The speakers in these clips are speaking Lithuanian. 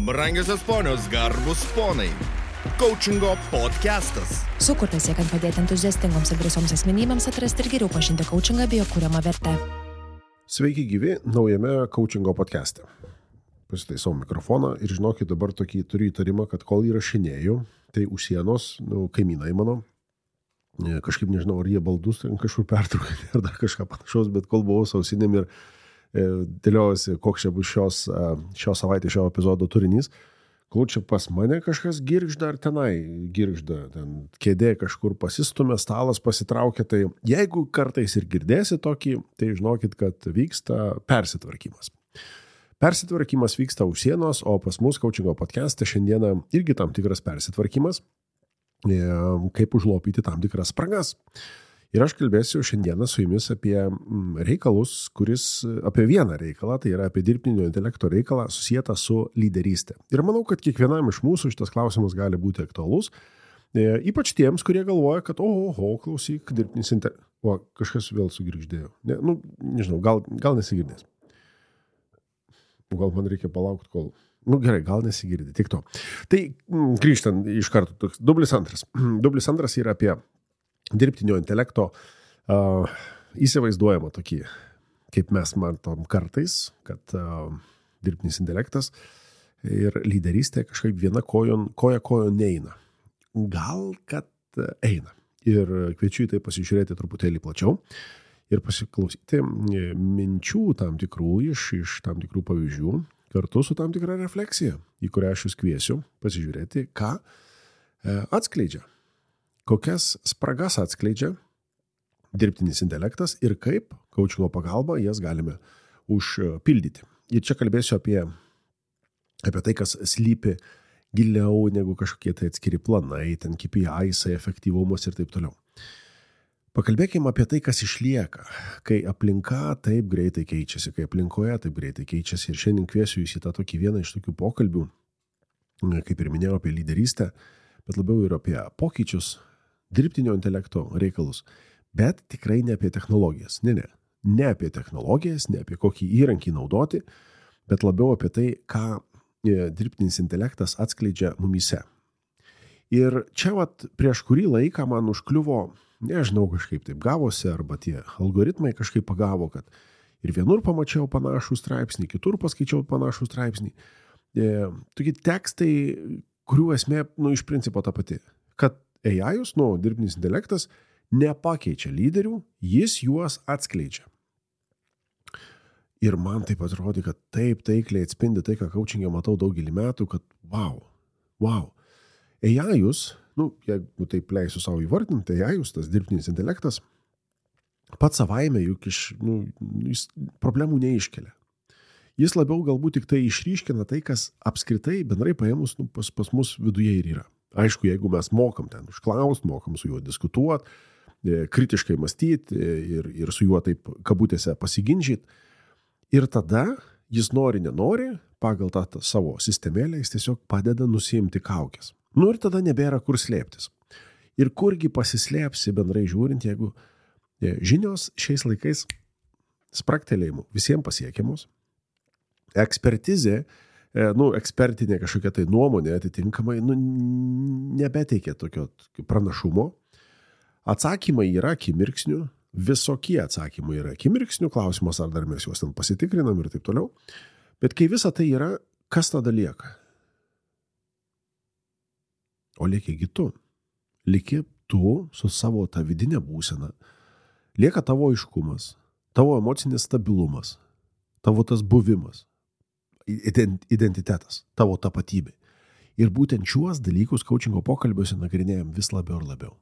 Brangiosios ponios, garbus ponai. Coachingo podcastas. Sukurtas siekiant padėti entuziastingoms ir drąsioms asmenybėms atrasti ir geriau pažinti coachingą bei jo kuriamą vertę. Sveiki gyvi naujame coachingo podcaste. Pasitaisau mikrofoną ir žinokit, dabar tokį turiu įtarimą, kad kol įrašinėjau, tai už sienos, kaimynai mano, kažkaip nežinau, ar jie baldus kažkur pertraukia ar dar kažką panašaus, bet kol buvau su ausinėm ir dėliojasi, koks čia bus šios savaitės šio epizodo turinys, kol čia pas mane kažkas girgžda ar tenai girgžda, ten kėdė kažkur pasistumė, stalas pasitraukia, tai jeigu kartais ir girdėsi tokį, tai žinokit, kad vyksta persitvarkymas. Persitvarkymas vyksta už sienos, o pas mus coachingo podcaste šiandieną irgi tam tikras persitvarkymas, kaip užlopyti tam tikras spragas. Ir aš kalbėsiu šiandieną su jumis apie reikalus, apie vieną reikalą, tai yra apie dirbtinio intelekto reikalą susijęta su lyderystė. Ir manau, kad kiekvienam iš mūsų šitas klausimas gali būti aktualus, ypač tiems, kurie galvoja, kad klausyk, dirbtinis intelektas. O, kažkas vėl sugirgždėjo. Nežinau, gal nesigirdės. Gal man reikia palaukti, kol... Gerai, gal nesigirdi, tik to. Tai grįžtant iš karto, dublis antras. Dublis antras yra apie dirbtinio intelekto įsivaizduojama tokį, kaip mes matom kartais, kad dirbtinis intelektas ir lyderystė kažkaip viena koja neina. Gal, kad eina. Ir kviečiu į tai pasižiūrėti truputėlį plačiau ir pasiklausyti minčių tam tikrų iš tam tikrų pavyzdžių, kartu su tam tikra refleksija, į kurią aš jūs kviesiu pasižiūrėti, ką atskleidžia. Kokias spragas atskleidžia dirbtinis intelektas ir kaip coachingo pagalba jas galime užpildyti. Ir čia kalbėsiu apie tai, kas slypi giliau negu kažkokie tai atskiri planai, ten KPIs, efektyvumas ir taip toliau. Pakalbėkime apie tai, kas išlieka, kai aplinka taip greitai keičiasi, kai aplinkoje taip greitai keičiasi. Ir šiandien kviesiu jūs į tą tokį vieną iš tokių pokalbių, kaip ir minėjau, apie lyderystę, bet labiau ir apie pokyčius, dirbtinio intelekto reikalus, bet tikrai ne apie technologijas. Ne apie technologijas, ne apie kokį įrankį naudoti, bet labiau apie tai, ką dirbtinis intelektas atskleidžia mumyse. Ir čia prieš kurį laiką man užkliuvo, nežinau, kažkaip taip gavosi, arba tie algoritmai kažkaip pagavo, kad ir vienur pamačiau panašų straipsnį, kitur paskaičiau panašų straipsnį. Tokie tekstai, kurių esmė, iš principo ta pati, kad AI-us, dirbtinis intelektas, nepakeičia lyderių, jis juos atskleidžia. Ir man taip atrodė, kad taip taikliai atspindi tai, ką coachingė matau daugelį metų, kad wow. AI-us, jeigu taip leisiu savo įvardinti, AI-us, tas dirbtinis intelektas, pats savaime juk jis problemų neiškelia. Jis labiau galbūt tik tai išryškina tai, kas apskritai bendrai paėmus pas mus viduje ir yra. Aišku, jeigu mes mokam ten užklausti, mokam su juo diskutuoti, kritiškai mąstyti ir su juo taip kabutėse pasiginčyti. Ir tada jis nenori, pagal tą savo sistemėlę, jis tiesiog padeda nusiimti kaukės. Ir tada nebėra kur slėptis. Ir kurgi pasislėpsi bendrai žiūrint, jeigu žinios šiais laikais spragtelėjimų visiems pasiekiamos, ekspertizė, ekspertinė kažkokia tai nuomonė atitinkamai, nebeteikia tokio pranašumo. Atsakymai yra akimirksnių, visokie atsakymai yra akimirksnių, klausimas, ar dar mes juos ten pasitikrinam ir taip toliau. Bet kai visa tai yra, kas tada lieka? O lieki tu. Lieki tu su savo ta vidinė būsena. Lieka tavo aiškumas, tavo emocinis stabilumas, tavo tas buvimas, identitetas, tavo tapatybė. Ir būtent šiuos dalykus coachingo pokalbiuose nagrinėjam vis labiau ir labiau.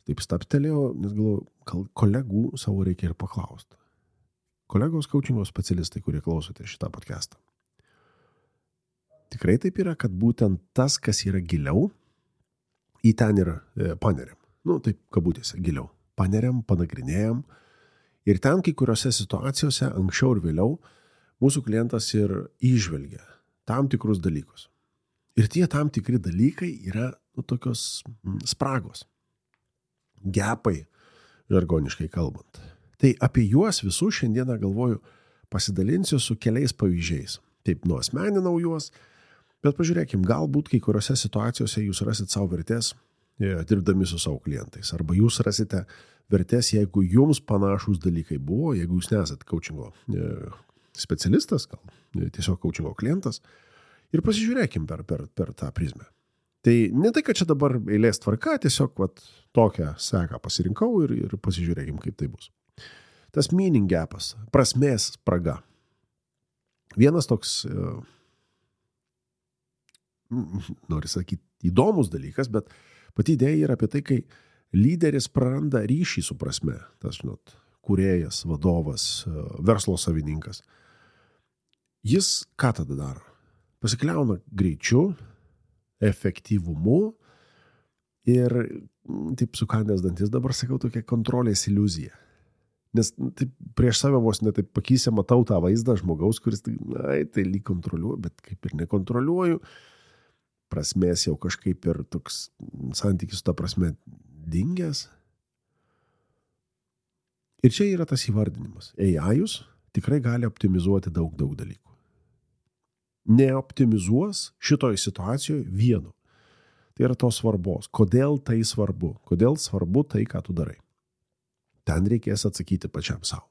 Taip staptelėjau, nes galvoju, kolegų savo reikia ir paklausti. Kolegos coachingo specialistai, kurie klausote šitą podcastą. Tikrai taip yra, kad būtent tas, kas yra giliau, į ten yra paneriam. Taip kabutėse giliau. Paneriam, panagrinėjam. Ir ten kai kuriuose situacijose, anksčiau ir vėliau, mūsų klientas ir įžvelgia tam tikrus dalykus. Ir tie tam tikri dalykai yra tokios spragos, gepai, žargoniškai kalbant. Tai apie juos visus šiandieną galvoju pasidalinsiu su keliais pavyzdžiais. taip nuasmeninau juos, bet pažiūrėkim, galbūt kai kuriuose situacijose jūs rasit savo vertės dirbdami su savo klientais, arba jūs rasite vertės, jeigu jums panašus dalykai buvo, jeigu jūs nesat coachingo specialistas, gal tiesiog coachingo klientas, ir pasižiūrėkim per tą prizmę. Tai ne tai, kad čia dabar eilės tvarka, tiesiog tokią seką pasirinkau ir pasižiūrėkim, kaip tai bus. Tas meaning gapas, prasmės spraga. Vienas toks, noriu sakyti, įdomus dalykas, bet pati idėja yra apie tai, kai lyderis praranda ryšį su prasme, tas, kūrėjas, vadovas, verslo savininkas. Jis ką tada daro? Pasikliauna greičiu, efektyvumu ir, taip sukandęs dantis, dabar sakau, tokia kontrolės iliuzija. Nes taip, prieš save vos netaip pakysę matau tą vaizdą žmogaus, kuris tai lyg kontroliuoju, bet kaip ir nekontroliuoju. Prasmės jau kažkaip ir toks santykis su ta prasme dingęs. Ir čia yra tas įvardinimas. AI-us tikrai gali optimizuoti daug dalykų. Neoptimizuos šitoj situacijoje vieno. Tai yra tos svarbos. Kodėl tai svarbu? Kodėl svarbu tai, ką tu darai? Ten reikės atsakyti pačiam savo.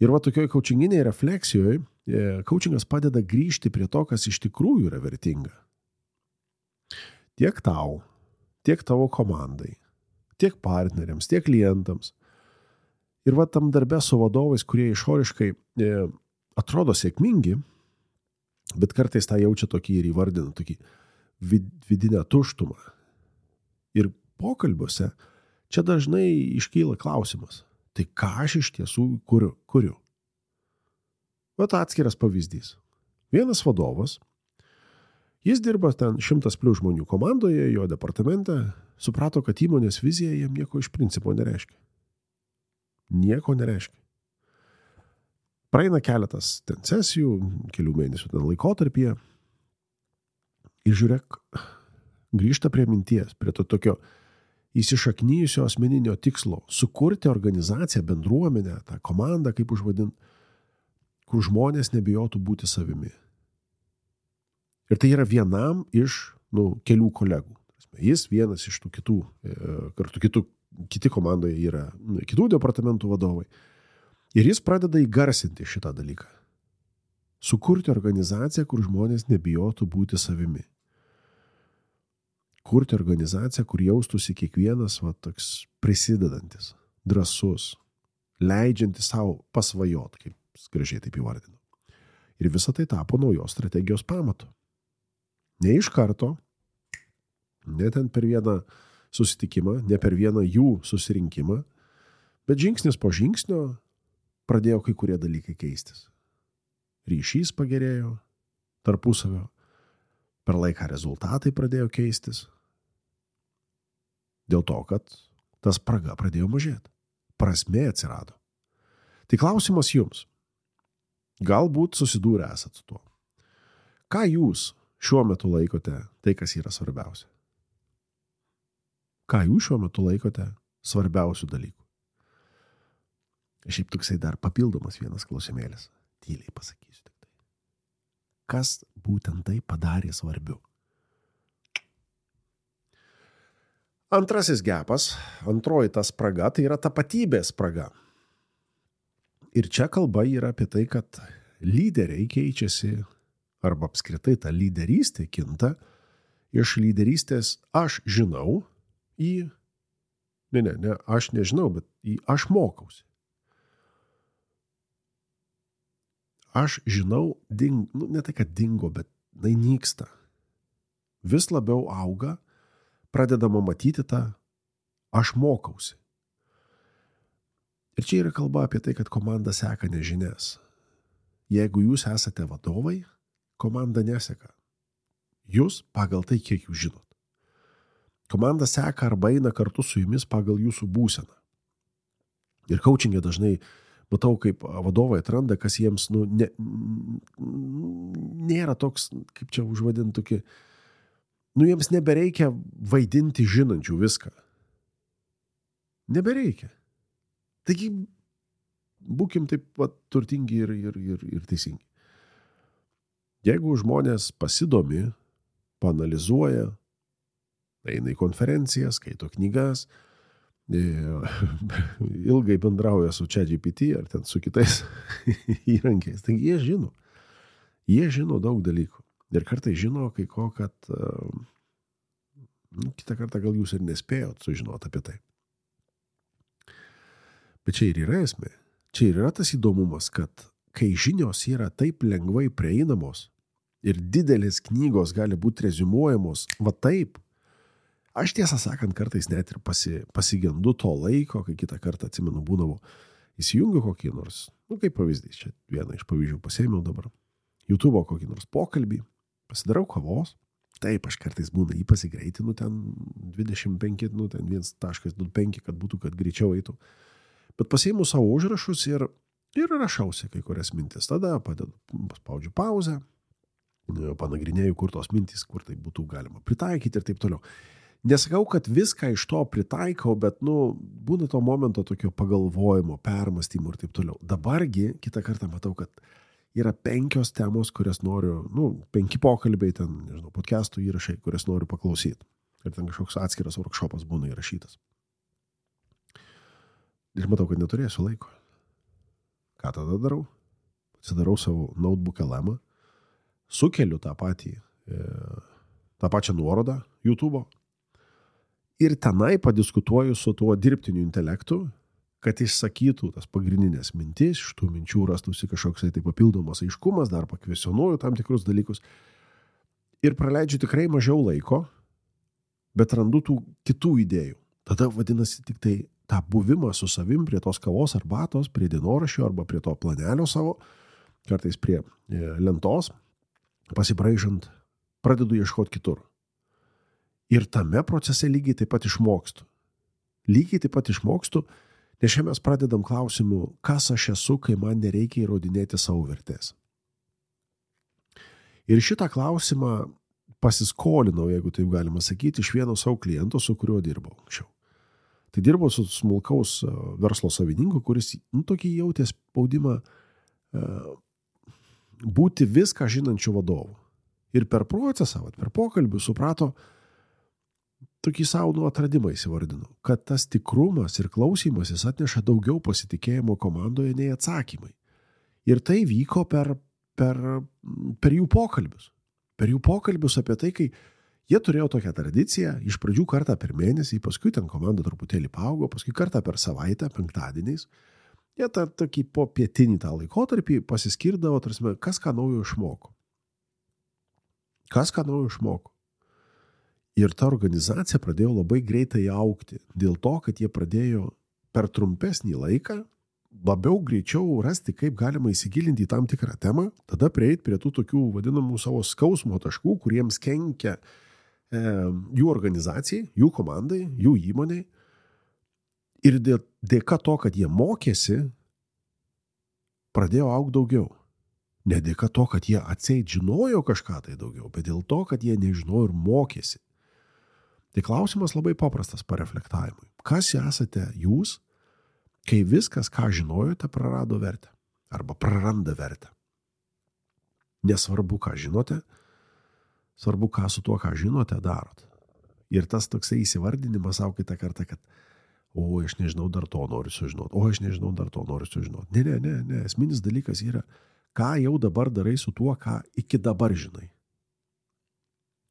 Ir tokioj coachinginiai refleksijoje, coachingas padeda grįžti prie to, kas iš tikrųjų yra vertinga. Tiek tau, tiek tavo komandai, tiek partneriams, tiek klientams. Ir tam darbe su vadovais, kurie išoriškai atrodo sėkmingi, bet kartais tą jaučia tokį ir įvardina, tokį vidinę tuštumą. Ir pokalbiuose čia dažnai iškyla klausimas, tai ką aš iš tiesų kuriu? Atskiras pavyzdys. Vienas vadovas, jis dirba ten 100+ žmonių komandoje, jo departamente, suprato, kad įmonės vizija jam nieko iš principo nereiškia. Nieko nereiškia. Praeina keletas ten sesijų, kelių mėnesių ten laikotarpyje ir žiūrėk, grįžta prie minties, prie to tokio įsišaknyjusio asmeninio tikslo, sukurti organizaciją, bendruomenę, tą komandą, kaip užvadint, kur žmonės nebijotų būti savimi. Ir tai yra vienam iš kelių kolegų. Jis vienas iš tų kitų, kartu kiti komandoje yra kitų departamentų vadovai. Ir jis pradeda įgarsinti šitą dalyką. Sukurti organizaciją, kur žmonės nebijotų būti savimi. Kurti organizaciją, kur jaustųsi kiekvienas toks prisidedantis, drąsus, leidžiantis savo pasvajot, kaip gražiai taip įvardinu. Ir visa tai tapo naujos strategijos pamatu. Ne iš karto, ne ten per vieną susitikimą, ne per vieną jų susirinkimą, bet žingsnis po žingsnio pradėjo kai kurie dalykai keistis. Ryšys pagerėjo tarpusavio, per laiką rezultatai pradėjo keistis. Dėl to, kad ta spraga pradėjo mažėti. Prasmė atsirado. Tai klausimas jums. Galbūt susidūrę esat su tuo. Ką jūs šiuo metu laikote tai, kas yra svarbiausia? Ką jūs šiuo metu laikote svarbiausių dalykų? Šiaip toksai dar papildomas vienas klausimėlis. Tyliai pasakysiu tik tai. Kas būtent tai padarė svarbiu? Antrasis gapas, antroji ta spraga, tai yra tapatybės spraga. Ir čia kalba yra apie tai, kad lyderiai keičiasi, arba apskritai ta lyderystė kinta iš lyderystės aš žinau į, ne, aš nežinau, bet į aš mokausi. Aš žinau, ne tai, kad dingo, bet nyksta. Vis labiau auga, pradedama matyti tą aš mokausi. Ir čia yra kalba apie tai, kad komanda seka nežinias. Jeigu jūs esate vadovai, komanda neseka. Jūs pagal tai, kiek jūs žinot. Komanda seka arba eina kartu su jumis pagal jūsų būseną. Ir coachingė dažnai matau, kaip vadovai atranda, kas jiems nėra toks, kaip čia užvadinti tokį, jiems nebereikia vaidinti žinančių viską. Nebereikia. Taigi, būkim taip turtingi ir teisingi. Jeigu žmonės pasidomi, paanalizuoja, eina į konferencijas, skaito knygas, ilgai bendrauja su ChatGPT ar ten su kitais įrankiais, tai jie žino daug dalykų. Ir kartai žino kai ko, kad kitą kartą gal jūs ir nespėjot sužinoti apie tai. Bet čia ir yra esmė. Čia ir yra tas įdomumas, kad kai žinios yra taip lengvai prieinamos ir didelės knygos gali būti reziumuojamos va taip, aš tiesą sakant kartais net ir pasigendu to laiko, kai kitą kartą atsimenu būdavo, įsijungiu kokį nors, kaip pavyzdys, čia vieną iš pavyzdžių pasėmiau dabar, YouTube'o kokį nors pokalbį, pasidarau kavos, taip, aš kartais būna jį pasigreitinu ten 25, ten 1.25, kad būtų, kad greičiau eitų, bet pasiimu savo užrašus ir rašausi kai kurias mintis, tada spaudžiu pauzę, panagrinėju, kur tos mintys, kur tai būtų galima pritaikyti ir taip toliau. Nesakau, kad viską iš to pritaikau, bet, būna to momento tokio pagalvojimo, permąstymo ir taip toliau. Dabargi, kitą kartą matau, kad yra 5 temos, kurias noriu, 5 pokalbiai, ten, nežinau, podcastų įrašai, kurias noriu paklausyti. Ir ten kažkoks atskiras workshopas būna įrašytas. Ir matau, kad neturėsiu laiko. Ką tada darau? Atsidarau savo notebook LM, sukeliu tą pačią nuorodą YouTube'o ir tenai padiskutuoju su tuo dirbtiniu intelektu, kad išsakytų tas pagrindinės mintis, iš tų minčių rastųsi kažkoks tai papildomas aiškumas, dar pakvesionuoju tam tikrus dalykus ir praleidžiu tikrai mažiau laiko, bet randu tų kitų idėjų. Tada vadinasi tik tai tą buvimą su savim prie tos kavos arbatos, prie dienoraščio arba prie to planelio savo, kartais prie lentos, pasibraižant, pradedu ieškoti kitur. Ir tame procese lygiai taip pat išmokstu. Nes čia mes pradedam klausimu, kas aš esu, kai man nereikia įrodinėti savo vertės. Ir šitą klausimą pasiskolinau, jeigu taip galima sakyti, iš vieno savo kliento, su kuriuo dirbau anksčiau. Tai dirbau su smulkaus verslo savininku, kuris tokį jautė spaudimą būti viską žinančių vadovų. Ir per procesą, per pokalbį suprato, tokį savo atradimą įsivardinu, kad tas tikrumas ir klausymasis atneša daugiau pasitikėjimo komandoje nei atsakymai. Ir tai vyko per jų pokalbius. Per jų pokalbius apie tai, kai jie turėjo tokią tradiciją, iš pradžių kartą per mėnesį, paskui ten komanda truputėlį paaugo, paskui kartą per savaitę, penktadieniais. Jie tokį po pietinį tą laikotarpį pasiskirdavo, tarsi, kas ką naujo išmoko. Ir ta organizacija pradėjo labai greitai augti, dėl to, kad jie pradėjo per trumpesnį laiką labiau greičiau rasti, kaip galima įsigilinti į tam tikrą temą, tada prieiti prie tų tokių vadinamų savo skausmo taškų, kuriems kenkia jų organizacijai, jų komandai, jų įmoniai. Ir dėka to, kad jie mokėsi, pradėjo augti daugiau. Ne dėka to, kad jie atseit žinojo kažką tai daugiau, bet dėl to, kad jie nežinojo ir mokėsi. Tai klausimas labai paprastas pareflektavimui. Kas esate jūs, kai viskas, ką žinojote, prarado vertę arba praranda vertę? Nesvarbu, ką žinote, svarbu, ką su tuo, ką žinote, darot. Ir tas toksai įsivardinimas savo kitą kartą, kad aš nežinau, dar to noriu sužinoti. Ne. Esminis dalykas yra, ką jau dabar darai su tuo, ką iki dabar žinai.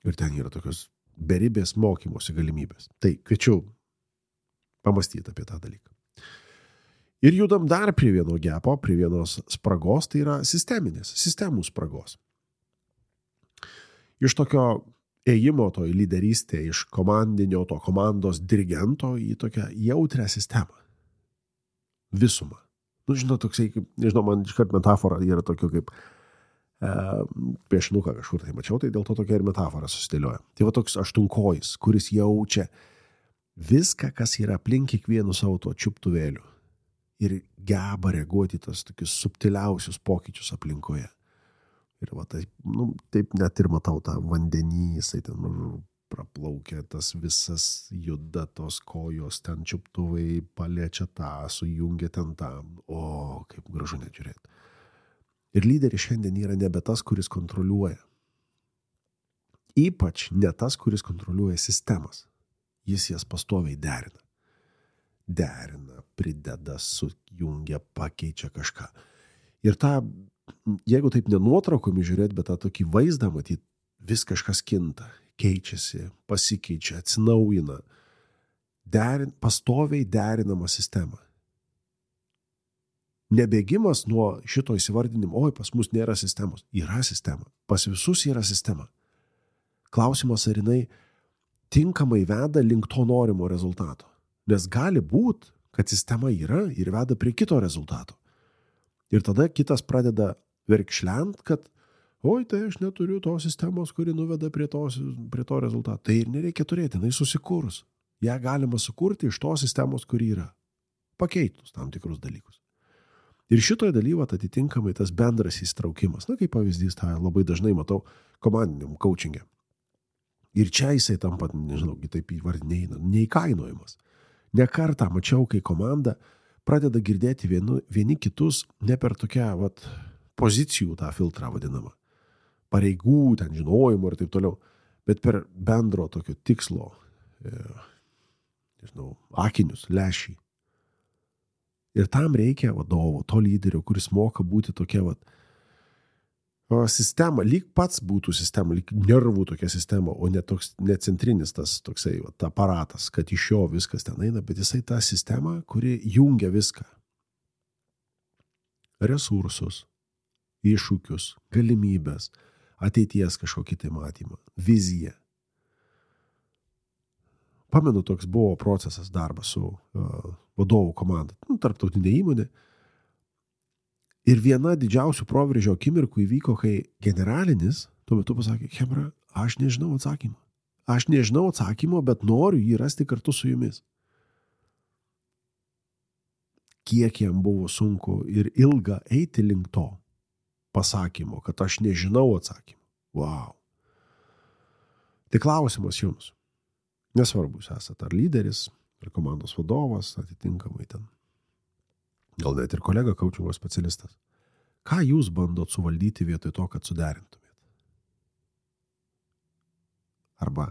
Ir ten yra tokios beribės mokymosi galimybės. Tai kviečiu pamastyti apie tą dalyką. Ir judam dar prie vieno gepo, prie vienos spragos, tai yra sistemų spragos. Iš tokio ėjimo to į lyderystę, iš komandinio, to komandos dirigento į tokią jautrią sistemą. Visumą. Toksai, man iškart metafora yra tokio kaip piešinuką kažkur tai mačiau, tai dėl to tokia ir metafora susidėlioja. Tai va toks aštunkojis, kuris jaučia viską, kas yra aplink kiekvienu savo tuo čiuptuvėliu ir geba reaguoti tas tokius subtiliausius pokyčius aplinkoje. Ir va taip net ir matau tą vandenį, jisai ten praplaukia, tas visas juda, tos kojos, ten čiuptuvai paliečia tą, sujungia ten tą. Kaip gražu net žiūrėti. Ir lyderis šiandien yra nebe tas, kuris kontroliuoja. Ypač ne tas, kuris kontroliuoja sistemas. Jis jas pastoviai derina. Derina, prideda, sujungia, pakeičia kažką. Ir jeigu taip nenuotraukomis žiūrėti, bet tą tokį vaizdą matyti, vis kažkas kinta, keičiasi, pasikeičia, atsinaujina. Pastoviai derinama sistema. Nebėgimas nuo šito įsivardinimo, oi, pas mus nėra sistemos. Yra sistema. Pas visus yra sistema. Klausimas, ar jinai tinkamai veda link to norimo rezultato. Nes gali būt, kad sistema yra ir veda prie kito rezultato. Ir tada kitas pradeda verkšlent, kad oi, tai aš neturiu tos sistemos, kuri nuveda prie to rezultato. Tai ir nereikia turėti, jinai susikurs. Ja galima sukurti iš tos sistemos, kuri yra. Pakeitus tam tikrus dalykus. Ir šitoje dalyvat atitinkamai tas bendras įsitraukimas. Na, kaip pavyzdys, tą labai dažnai matau komandiniam coachingė. Ir čia jisai tampa, nežinau, taip įvardinėjai, neįkainojimas. Ne kartą mačiau, kai komanda pradeda girdėti vieni kitus ne per tokią pozicijų tą filtrą vadinamą. Pareigų, ten žinojimo ir taip toliau. Bet per bendro tokio tikslo, nežinau, akinius, lęšį. Ir tam reikia vadovo, to lyderio, kuris moka būti tokia sistema, lyg pats būtų sistema, lyg nervų tokia sistema, o ne centrinis tas toksai aparatas, kad iš jo viskas ten eina, bet jisai ta sistema, kuri jungia viską. Resursus, iššūkius, galimybės, ateities kažkokį tai matymą, viziją. Pamenu, toks buvo procesas darbas su vadovų komanda, tarptautinė įmonė. Ir viena didžiausių proveržio akimirkų įvyko, kai generalinis tuo metu pasakė, chebra, aš nežinau atsakymo. Aš nežinau atsakymo, bet noriu jį rasti kartu su jumis. Kiek jam buvo sunku ir ilga eiti link to pasakymo, kad aš nežinau atsakymą. Wow. Tai klausimas jums. Nesvarbu, jūs esate ar lyderis, ar komandos vadovas, atitinkamai ten. Gal net ir kolega coachingo specialistas. Ką jūs bandot suvaldyti vietoj to, kad suderintumėt? Arba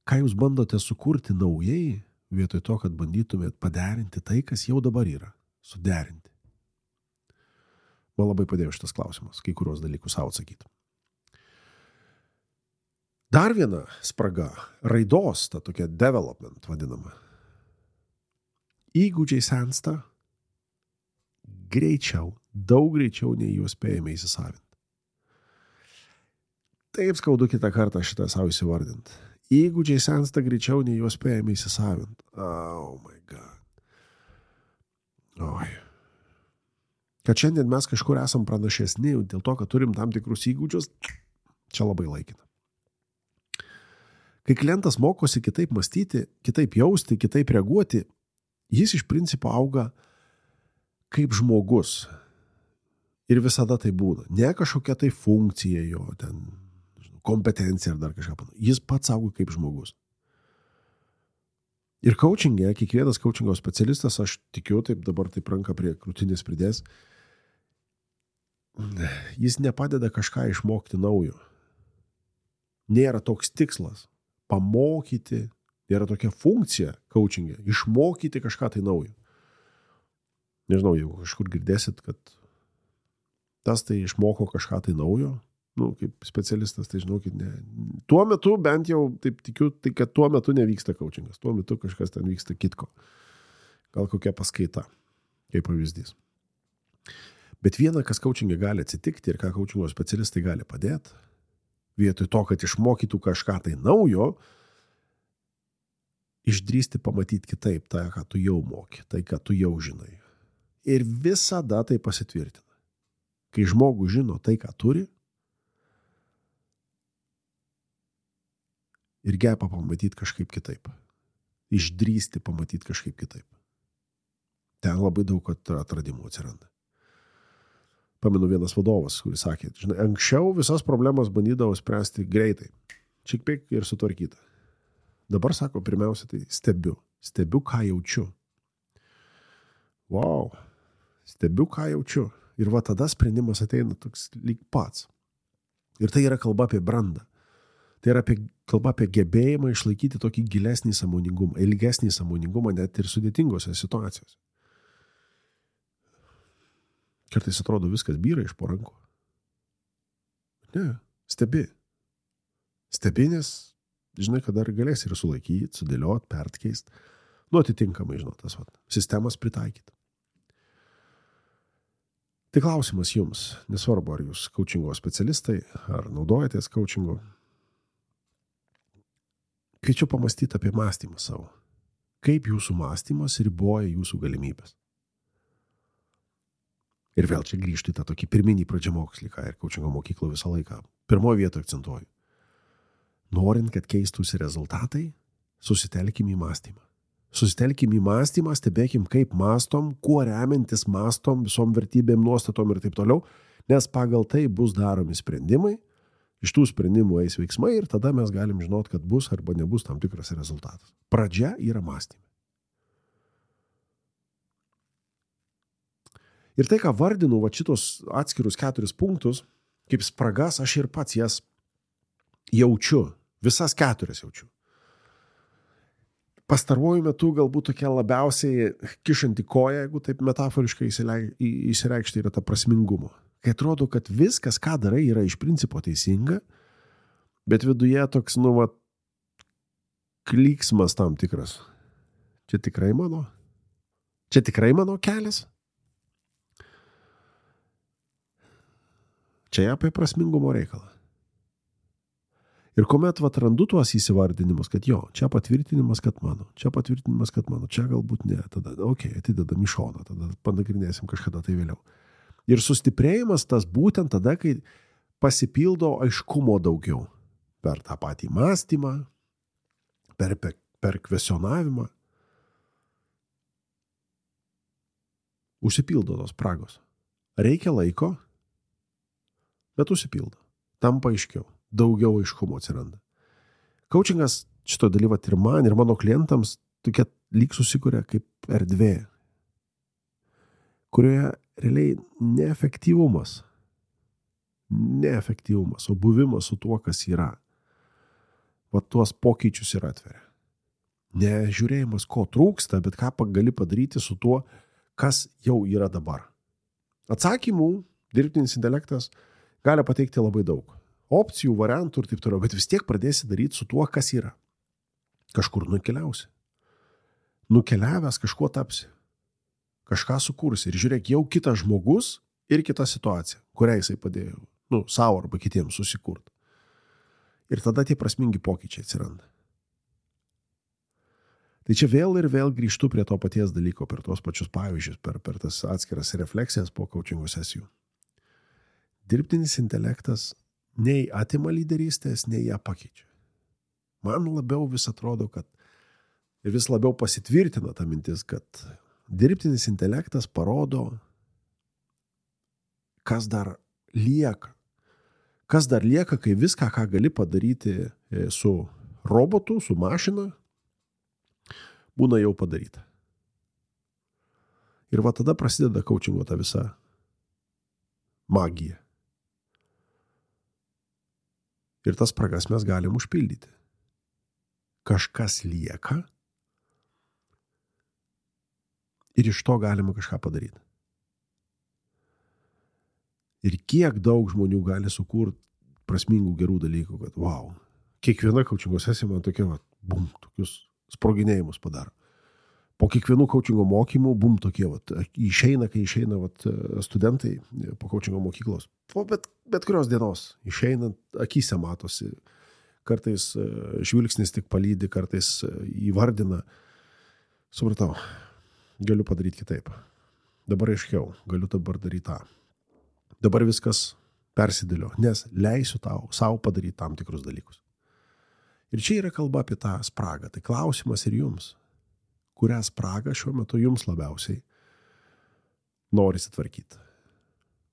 ką jūs bandote sukurti naujai vietoj to, kad bandytumėt paderinti tai, kas jau dabar yra. Suderinti. Man labai padėjo šitas klausimas, kai kurios dalykus savo atsakyti. Dar viena spraga, raidos, ta tokia development vadinama. Įgūdžiai sensta greičiau, daug greičiau nei juos spėjame įsisavinti. Taip skaudu kitą kartą šitą savo įsivardinti. Įgūdžiai sensta greičiau nei juos spėjame įsisavinti. Oh my God. Oi. Kad šiandien mes kažkur esam pranašesni dėl to, kad turim tam tikrus įgūdžius, čia labai laikina. Kai klientas mokosi kitaip mąstyti, kitaip jausti, kitaip reaguoti, jis iš principo auga kaip žmogus. Ir visada tai būna. Ne kažkokia tai funkcija jo, ten, kompetencija ar dar kažką. Jis pats auga kaip žmogus. Ir coachingė, kiekvienas coachingo specialistas, aš tikiu, taip dabar taip ranką prie krūtinės pridės, jis nepadeda kažką išmokti naujo. Nėra toks tikslas. Pamokyti, yra tokia funkcija coachingė, išmokyti kažką tai naujo. Nežinau, jeigu kažkur girdėsit, kad tas tai išmoko kažką tai naujo, kaip specialistas, tai žinokit, ne. Tuo metu, bent jau taip tikiu, tai kad tuo metu nevyksta coachingas, tuo metu kažkas ten vyksta kitko. Gal kokia paskaita, kaip pavyzdys. Bet viena, kas coachingė gali atsitikti ir ką coachingo specialistai gali padėti, vietoj to, kad išmokytų kažką tai naujo, išdrįsti pamatyti kitaip tai, ką tu jau moki, tai, ką tu jau žinai. Ir visada tai pasitvirtina. Kai žmogus žino tai, ką turi, ir geba pamatyti kažkaip kitaip. Išdrįsti pamatyti kažkaip kitaip. Ten labai daug atradimų atsiranda. Pamenu vienas vadovas, kuris sakė, žinai, anksčiau visas problemas bandydavo spręsti greitai. Čik-pik ir sutvarkyta. Dabar sako, pirmiausia, tai stebiu. Stebiu, ką jaučiu. Wow. Stebiu, ką jaučiu. Ir va tada sprendimas ateina toks lyg pats. Ir tai yra kalba apie brandą. Tai yra kalba apie gebėjimą išlaikyti tokį gilesnį sąmoningumą, ilgesnį sąmoningumą net ir sudėtingose situacijose. Kartais atrodo viskas byra iš po rankų. Ne, stebi. Stebi, nes žinai, kad dar galės ir sulaikyti, sudėliot, pertkeist. Atitinkamai, tas sistemas pritaikyti. Tai klausimas jums, nesvarbu, ar jūs coachingo specialistai, ar naudojatės coachingo. Kviečiu pamastyti apie mąstymą savo. Kaip jūsų mąstymas riboja jūsų galimybės. Ir vėl čia grįžti tą tokį pirminį pradžiamokslį, ką ir coachingo mokyklo visą laiką. Pirmoje vietoje akcentuoju. Norint, kad keistųsi rezultatai, susitelkim į mąstymą. Susitelkim į mąstymą, stebėkim, kaip mąstom, kuo remiantis mąstom, visom vertybėm, nuostatom ir taip toliau, nes pagal tai bus daromi sprendimai, iš tų sprendimų eis veiksmai ir tada mes galim žinot, kad bus arba nebus tam tikras rezultatas. Pradžia yra mąstymai. Ir tai, ką vardinu, šitos atskirus 4 punktus, kaip spragas, aš ir pats jas jaučiu, visas 4 jaučiu. Pastaruoju metu galbūt tokia labiausiai kišanti koja, jeigu taip metaforiškai įsireikšti, yra ta prasmingumo. Kai atrodo, kad viskas, ką darai, yra iš principo teisinga, bet viduje toks, klyksmas tam tikras. Čia tikrai mano? Čia tikrai mano kelias? Čia apie prasmingumo reikalą. Ir kuomet randu tuos įsivardinimus, kad čia patvirtinimas, kad mano, čia patvirtinimas, kad mano, čia galbūt ne, tada, atidedam į šoną, tada panagrinėsim kažkada tai vėliau. Ir sustiprėjimas tas būtent tada, kai pasipildo aiškumo daugiau. Per tą patį mąstymą, per kvesionavimą. Užsipildo tos spragos. Reikia laiko, bet užsipildo. Tampa aiškiau. Daugiau aiškumo atsiranda. Coachingas šito dalyvat ir man, ir mano klientams tokia lyg susikuria kaip erdvė, kurioje realiai neefektyvumas, o buvimas su tuo, kas yra. Tuos pokyčius ir atveria. Ne žiūrėjimas, ko trūksta, bet ką gali padaryti su tuo, kas jau yra dabar. Atsakymų dirbtinis intelektas gali pateikti labai daug. Opcijų, variantų ir taip toliau, bet vis tiek pradėsi daryti su tuo, kas yra. Kažkur nukeliausi. Nukeliavęs kažkuo tapsi. Kažką sukursi. Ir žiūrėk, jau kitas žmogus ir kita situacija, kurią jisai padėjo, savo arba kitiems susikurti. Ir tada tie prasmingi pokyčiai atsiranda. Tai čia vėl ir vėl grįžtu prie to paties dalyko, per tos pačius pavyzdžius, per tas atskiras refleksijas po coachingo sesijų. Dirbtinis intelektas nei atima lyderystės, nei ją pakeičia. Man labiau vis atrodo, kad ir vis labiau pasitvirtina ta mintis, kad dirbtinis intelektas parodo, kas dar lieka. Kas dar lieka, kai viską, ką gali padaryti su robotu, su mašina, būna jau padaryta. Ir tada prasideda coachingo ta visa magija. Ir tas spragas mes galim užpildyti. Kažkas lieka ir iš to galima kažką padaryti. Ir kiek daug žmonių gali sukurti prasmingų gerų dalykų, kad kiekviena coachingo sesija man tokius sproginėjimus padaro. Po kiekvienų coachingo mokymų, tokie, kai išeina studentai po coachingo mokyklos. Po bet kurios dienos išeinant, akyse matosi. Kartais žvilgsnis tik palydi, kartais įvardina. Supratau, galiu padaryti kitaip. Dabar aiškiau, galiu dabar daryti tą. Dabar viskas persidėlio, nes leisiu savo padaryti tam tikrus dalykus. Ir čia yra kalba apie tą spragą. Tai klausimas ir jums. Kurią spragą šiuo metu jums labiausiai norisi tvarkyti?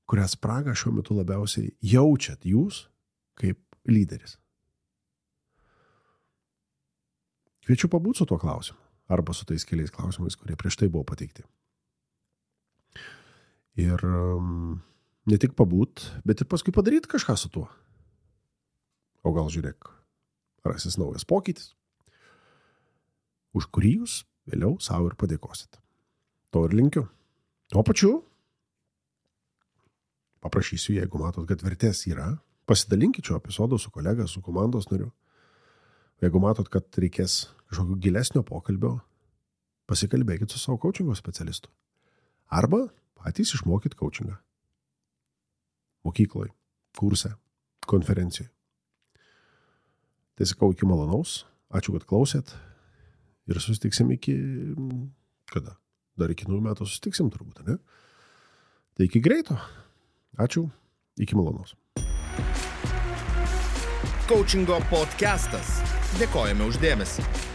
Kurią spragą šiuo metu labiausiai jaučiat jūs kaip lyderis? Kviečiu pabūti su tuo klausimu arba su tais keliais klausimais, kurie prieš tai buvo pateikti. Ir ne tik pabūt, bet ir paskui padaryti kažką su tuo. O gal žiūrėk, rasis naujas pokytis, už kurį jūs vėliau savo ir padėkosit. To ir linkiu. Tuo pačiu paprašysiu, jeigu matot, kad vertės yra, pasidalinkit šio epizodo su kolega, su komandos nariu. Jeigu matot, kad reikės kažkokio gilesnio pokalbio, pasikalbėkit su savo coachingo specialistu. Arba patys išmokit coachingą. Mokykloje, kurse, konferencijoje. Tai sakau, iki malonaus. Ačiū, kad klausėt. Ir susitiksim iki... Kada? Dar iki naujų metų susitiksim turbūt, ne? Tai iki greito. Ačiū. Iki malonaus. Coachingo podcastas. Dėkojame už dėmesį.